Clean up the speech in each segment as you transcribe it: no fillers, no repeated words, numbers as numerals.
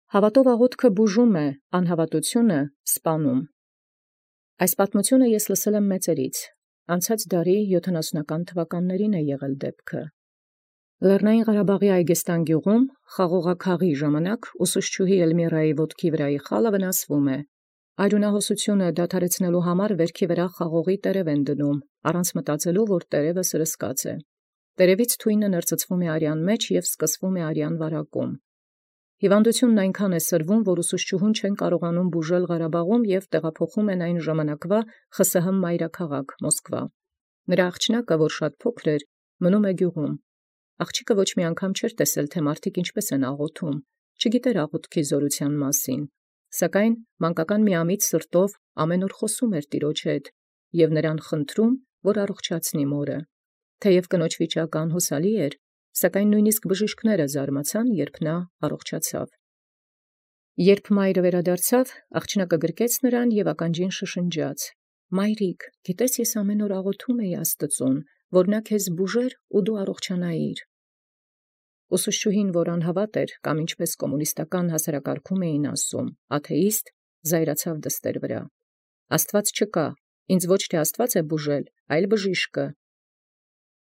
Հաւատով աղոթքը բուժում է, անհաւատութիւնը սպանում։ Այս պատմությունը ես լսել եմ մեծերից. անցած դարի 70-ական թվականներին է եղել դեպքը։ Լեռնային Ղարաբաղի Այգեստան գյուղում խաղողաքաղի ժամանակ ուսուցչուհի Էլմիրայի ոտքի վրայի խալը վնասվում է։ Արյունահոսությունը դադարեցնելու համար վերքի վրա խաղողի տերև են դնում, առանց մտածելու, որ տերևը սրսկած է։ Տերևից թույնը ներծծվում է արյան մեջ և սկսվում է արյան վարակում։ Հիվանդությունն այնքան է սրվում, որ ուսուցչուհուն չեն կարողանում բուժել Ղարաբաղում և տեղափոխում են այն ժամանակվա ԽՍՀՄ մայրաքաղաք Մոսկվա։ Նրա աղջնակը, որ շատ փոքր էր, մնում է գյուղում։ Աղջիկը ոչ մի անգամ չէր տեսել, թե մարդիկ ինչպես են աղոթում, չգիտեր աղոթքի զորության մասին, սակայն մանկական միամիտ սրտով ամեն օր խոսում էր տիրոջ հետ և նրան խնդրում, որ առողջացնի մորը։ Թեև կնոջ վիճակը անհուսալի էր, սակայն նույնիսկ բժիշկները զարմացան, երբ նա առողջացավ։ Երբ մայրը վերադարձավ, աղջնակը գրկեց նրան և ականջին շշնջաց. «Մայրիկ, գիտես ես ամեն օր աղոթում էի Աստծուն, որ նա քեզ բուժեր ու դու առողջանայիր»։ Ուսուցչուհին, որ անհավատ էր, կամ ինչպես կոմունիստական հասարակարգում էին ասում, աթեիստ, զայրացավ դստեր վրա։ Աստված չկա, ինձ ոչ թե Աստված է բուժել, այլ բժիշկը։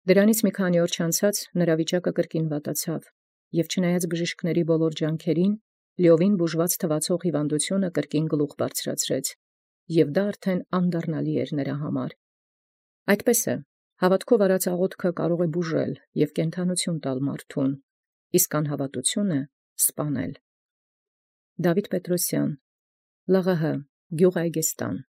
Դրանից մի քանի օր չանցած նրա վիճակը կրկին վատացավ, և չնայած բժիշկների բոլոր ջանքերին, լիովին բուժված թվացող հիվանդությունը կրկին գլուխ բարձրացրեց, և դա արդեն անդառնալի էր նրա համար։ Այդպես է, հավատքով արած աղոթքը կարող է բուժել և կենդանություն տալ մարդուն, իսկ անհավատությունը սպանել։ Դավիթ Պետրոսյան, ԼՂՀ, գյուղ Այգեստան։